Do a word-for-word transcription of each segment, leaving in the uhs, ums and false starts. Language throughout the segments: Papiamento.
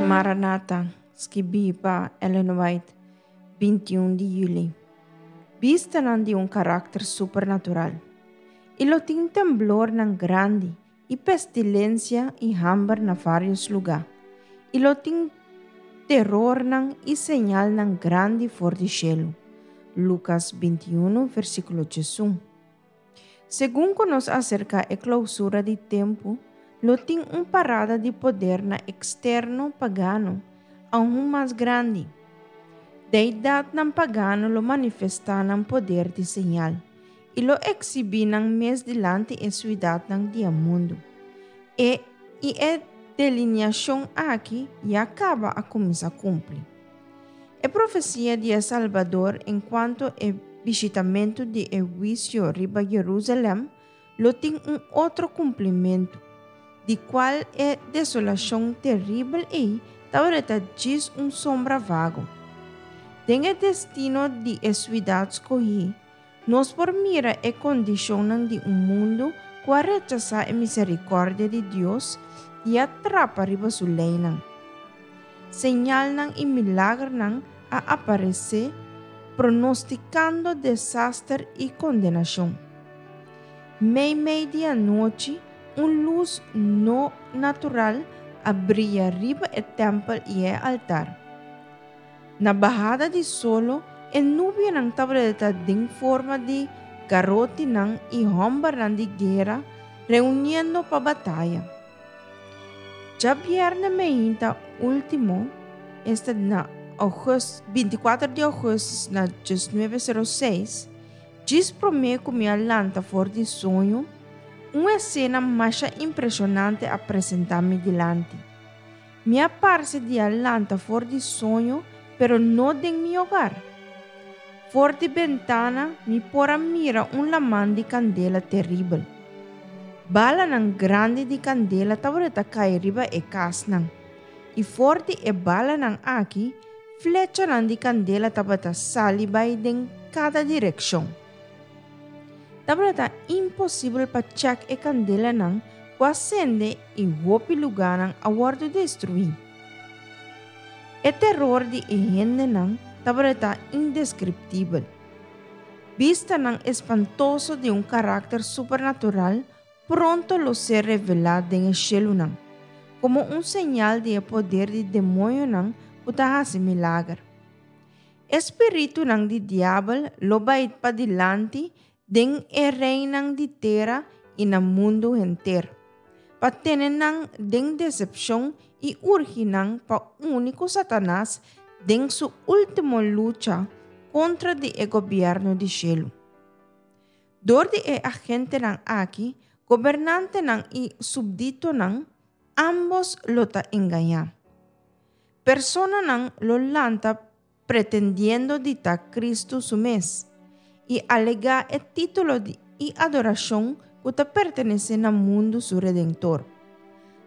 Maranata, skibí pa Ellen White, binti un di yüli. Bistanan di un karakter supernatural. I lo tin temblornan grandi, i pestilensia i hamber na vários lugá. I lo tin terornan i señalnan grandi for di shelu. Lukas binti un, versíkulo diesun. Segun ku nos aserká e klousura di tempu, lo tin un parada di podernan eksterno pagano, aun mas grandi. Deidatnan pagano lo manifestá nan poder di señal i lo ekshibí nan mes dilanti e siudatnan di e mundu. E, i e delineashon aki ya kaba a kuminsá kumpli. E profesia di e Salbador enkuanto e bishitamentu di e huisio riba Jerusalèm lo tin un otro kumplimentu, di kual e desolashon teribel ei tabata djis un sombra vago. Den e destino di e siudat skohí, nos por mira e kondishonnan di un mundu ku a rechasá e miserikòrdia di Dios i a trapa riba su leinan. Señalnan i milagernan a aparesé pronostikando desaster i kondenashon. Meimei di anochi, un lus no natural a bria riba e tèmpel i e altar. Na bahada di solo, e nubianan tabata den forma di garotinan i hòmbernan di guera reuniendo pa bataya. Djabièrnè mainta último, esta na ougùstùs, binti kuater di ougùstùs na diesnuebe sero seis, djis promé ku mi a lanta for di soño, un esena masha impreshonante a presentá mi dilanti. Mi a parse di a lanta for di soño, pero no den mi hogar. For di bentana mi por a mira un laman di kandela teribel. Balanan grandi di kandela tabata kai riba e kasnan. I for di e balanan aki, flechanan di kandela tabata sali bai den kada direkshon. Tabata imposibel pa chèk e kandelanan ku a sende i hopi lugánan a wòrdu destruí. E teror di e hendenan tabata indeskriptibel. Bistanan espantoso di un karakter supernatural pronto lo ser revelá den e shelunan, komo un señal di e poder di demoñonan ku ta hasi milager. E spiritunan di diabel lo bai padilanti den e reinan di tera i na mundu henter, pa tene nan den desepshon i urgi nan pa uni ku Satanas den su último lucha kontra di e gobièrnu di shelu. Dor di e agentenan aki, gobernantenan i súpditonan, ámbos lo ta engañá. Personanan lo lanta pretendiendo di ta Kristu su mes i alegá e título di i adorashon ku ta pertenesé na mundu su Redentor.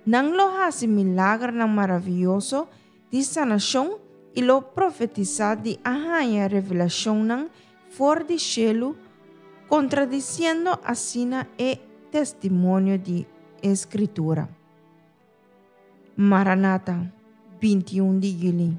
Nan lo hasi milagernan maravioso di sanashon i lo profetisá di a haña revelashonnan for di shelu, kontradisiendo asina e testimonio di e Skritura. Maranata, binti un di yüli.